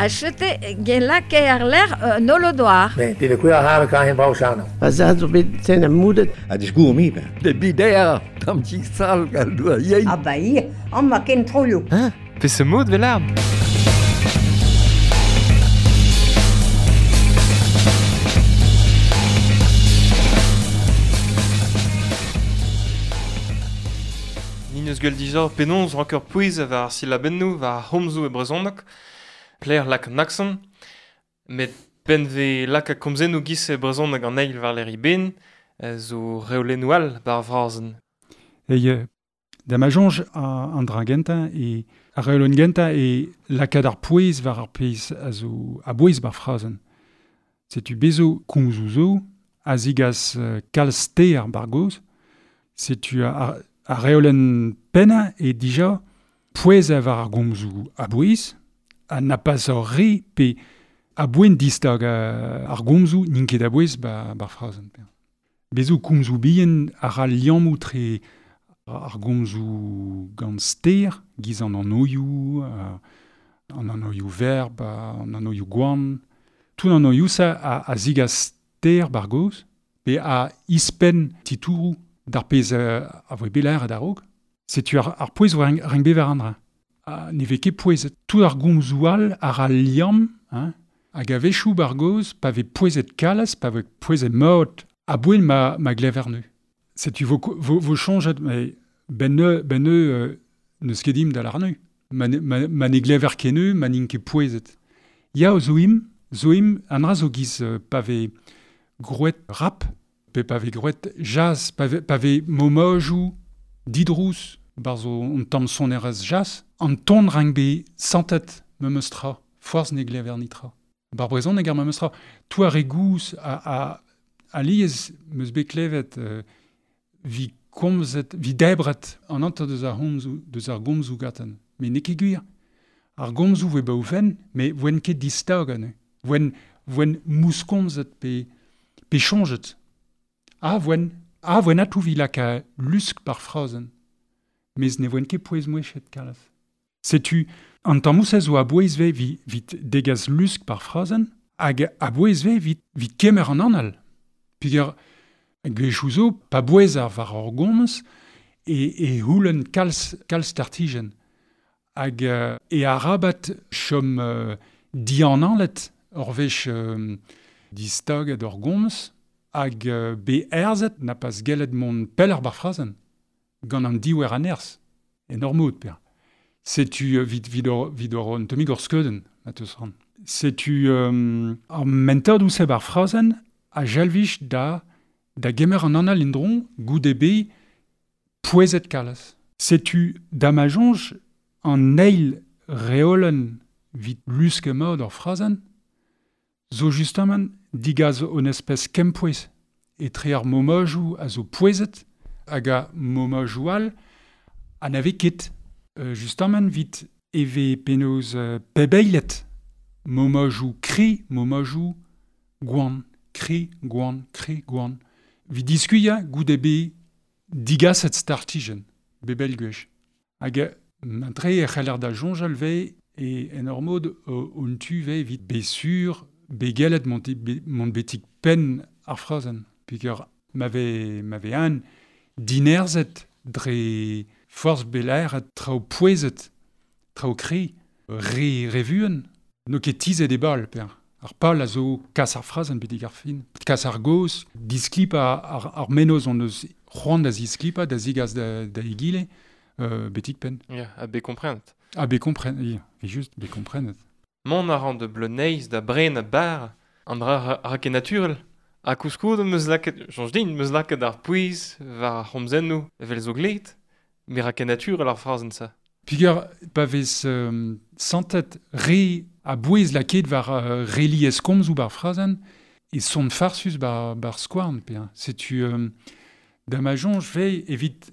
A chete gen lake ar ler nolodoar. Ben, dit de koe ha kan hen brau. Pa za zo bet sen am moudet. A disgour mi, ben. De bider, tam ti sal gal doa yein. Ah ba ir, an ma ken troio. Hein? Pe se mod vel Ni neus gwell dija penaos rankeur pouez war ar silabennoù war ar c'homzoù e brezhoneg, plaer lak an akson, met ben ve lak a komzennoù giz e brezhoneg an eil war leri ben, zo reolennoù all bar vrazen. E da ma jonge an dra gentañ e ar reolenn gentañ e lakaat ar pouez war ar pezh a zo a bouez bar frazenn. Setu bezo komzoù zo, a zigas kalz ster bar goz, setu ar reolenn pennañ e dija pouez war ar gomzoù a bouez, a na pas ur re pe a boen distag ar gomzoù n'int ket a bouez bar frazenn. Bezo komzoù bihan a ra liammoù tre ar gomzoù gant ster, giz an anoioù, an anoioù verb, an anoioù gwan. Tout an anoioù sa a zigas ster bar goz, pe a ispenn titouroù d'ar pezh a voe belaer ad a-raok. Setu ar pouez vo renk bever an dra. Ne vez ket pouezet. Tout ar gomzoù all a ra liamm, hein, hag a-wechoù bar goz, pa vez pouezet kalz, pa vez pouezet mod, a bouel ma glever nu. Setu vo chonjet, mais ben ne neus ket dim da l'arnu. Ma ne glever ket neu, ma n'int ket pouezet. Ya zo im, an dra zo giz pa vez groet rap, pe pa vez groet jazz, pa vez momojou didrous, bar zo on tamm sonerez jazz, an ton rank be santet memes tra, forzh ne glever nitra. Bar brezhon ne gar memes tra. Toi ar re gouz a liez meus bet klevet vi komzet, vi debret an anter deus ar homzoù, deus ar gomzoù gaten. Me n'eo ket gwir. Ar gomzoù voe ba oufen, me voen ket distag ane. Voen mouskomzet pe chonjet. A voen atou vi laka lusk par frazenn. Mez ne voen ket pouez mouechet kalaz. Setu, an tammou-se zo a bouez ve vit degaz lusk par frazenn, hag a bouez ve vit kemer an anal. Peogwir gwechou zo, pa bouez ar war ar gomz, e houlenn kalz tartijen. Hag e arabat chom dianalet ur wech distaget ur gomz, hag be erzet na pas gellet mont pell ar bar frazenn, gant an diwer an erz, en ur mod, per. Setu vid ur un tammig ur skeudenn, ma teus ran. Setu ar mentad ouzh bar frazenn a jalvich da gemer an anal indron goude be pouezet kalaz. Setu da ma jonj an eil reolenn vit lusk mod ur frazenn, zo justement digaz on espèce kempouez etre ar momajou a zo pouezet hag a momajou all a n'ave ket. Justement vit eve penaos pebeilet momajou kri, momajou gwan, kri, gwan, kri, gwan. Vit diskuilhañ goude be digaset startijen, bebel gwech. Hag mentre e c'heller da soñjal ve e en ur mod on tu ve vit be sur be gellet mont betik penn ar frazenn. Peogwir m'ave an dinerzet dre forzh belaer traoù pouezet, traoù kri, re revuen, no ket tizet e bal, per. Ar pal a zo kas ar frazenn betek ar fin. Kas ar goz, disklipa ar menoz on eus c'hoant da zisklipa, da zigas da egile, betik penn. Ya, a be komprenet. A be komprenet, ya, e just be komprenet. Mont a ran de bleuneiz da bren a bar, an dra ra ket naturel. A kouskoud meus laket, chanj din, meus laket ar pouez war ar c'homzennoù evel zo glet, me ra ket naturel ar frazenn sa. Peogwir pa vez santet re a bouez laket war reliez komzoù bar frazenn, e son farsus bar skouarn, pe. Setu da ma jonj ve evit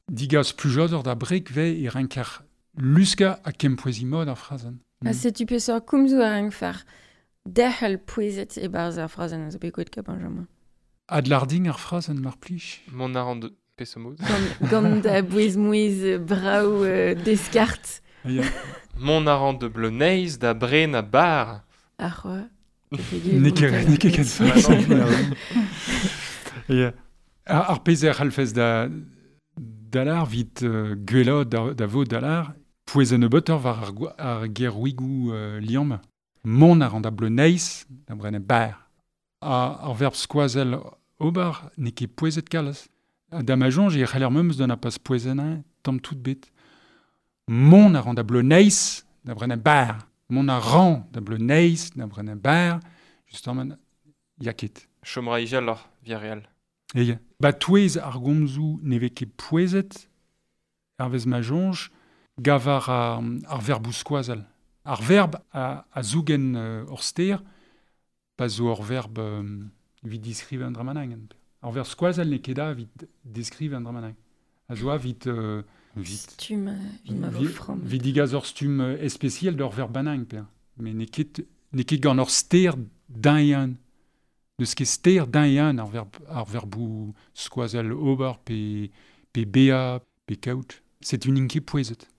digas plujodor da brek ve e renker luska a kempouezi mod ar frazenn. Ha setu peseurt komzoù a renk fer derc'hel pouezet e barzh ar frazenn a zo bet gwet ka Benjamin. Adlarding ar frazenn mar plij. Mont a ran de peseurt mod. Gant da bouez mouez brav deskart. Ya. Mont a ran de Bleuneiz da bren a bar. Ar c'hoa. N'eo ket ken fall. Ar pezh e c'hallfez da dalar vit gwella da vo dalar pouez an nebeutoc'h war ar gerwigou liamm. Mont a ran da Bleuneiz da bren a bar. Ar verb skoazell ober n'eo ket pouezet kalz. Da ma soñj e c'haller memes d'an a pas pouezenañ tamm tout bet. Mont a ran da Bleuneiz da bren a bar. Mont a ran da Bleuneiz da bren a bar. Justement, ya ket. Chom ra ijaloc'h, via real. Eia. Ba touez ar gomzoù ne vez ket pouezet, hervez ma soñj, gavar ar verboù skoazell. Ar verb a zougen ur ster, pa zo ur verb evit diskriv an dra-mañ. Ar verb skoazell n'eo ket da evit diskriv an dra-mañ. A zo evit... Stumm, evit ma vo framm. Evit digaz ur stumm especiel d'ur verb banang, per. Mais n'eo ket gant ur ster d'un N'eus ket ster d'un ar verb ar verboù skoazell ober pe bea pe kaout. C'est une int ket pouezet.